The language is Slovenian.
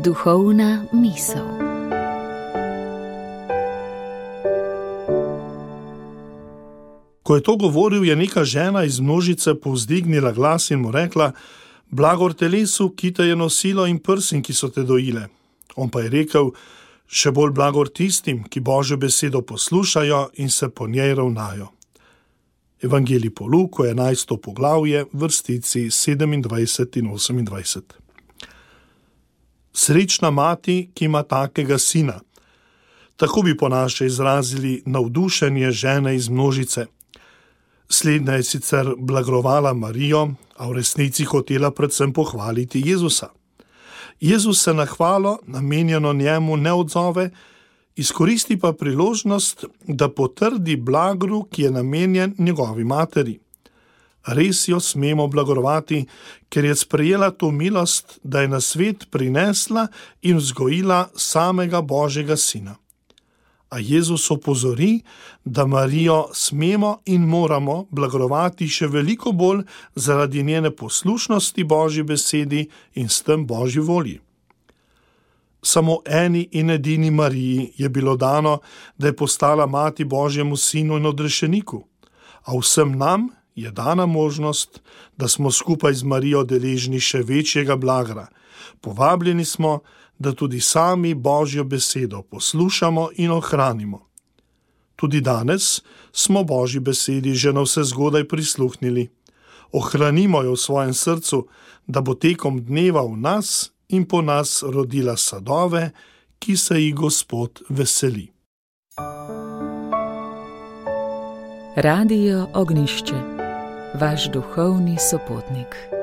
Duhovna misel. Ko je to govoril, je neka žena iz množice povzdignila glas in mu rekla: "Blagor telesu, ki te je nosilo, in prsim, ki so te dojile." On pa je rekel: "Še bolj blagor tistim, ki Božjo besedo poslušajo in se po njej ravnajo." Evangelij po Luku, 11. poglavje, vrstici 27 in 28. Srečna mati, ki ima takega sina. Tako bi po naše izrazili navdušenje žene iz množice. Slednja je sicer blagovala Marijo, a v resnici hotela predvsem pohvaliti Jezusa. Jezus se na hvalo, namenjeno njemu, ne odzove, izkoristi pa priložnost, da potrdi blagru, ki je namenjen njegovi materi. Res jo smemo blagorovati, ker je sprejela to milost, da je na svet prinesla in vzgojila samega Božjega sina. A Jezus opozori, da Marijo smemo in moramo blagorovati še veliko bolj zaradi njene poslušnosti Božji besedi in s tem Božji volji. Samo eni in edini Mariji je bilo dano, da je postala mati Božjemu sinu in odrešeniku, a vsem nam je dana možnost, da smo skupaj z Marijo deležni še večjega blagra. Povabljeni smo, da tudi sami Božjo besedo poslušamo in ohranimo. Tudi danes smo Božji besedi že navsezgodaj prisluhnili. Ohranimo jo v svojem srcu, da bo tekom dneva v nas in po nas rodila sadove, ki se jih Gospod veseli. Radio Ognjišče, vaš duhovni sopotnik.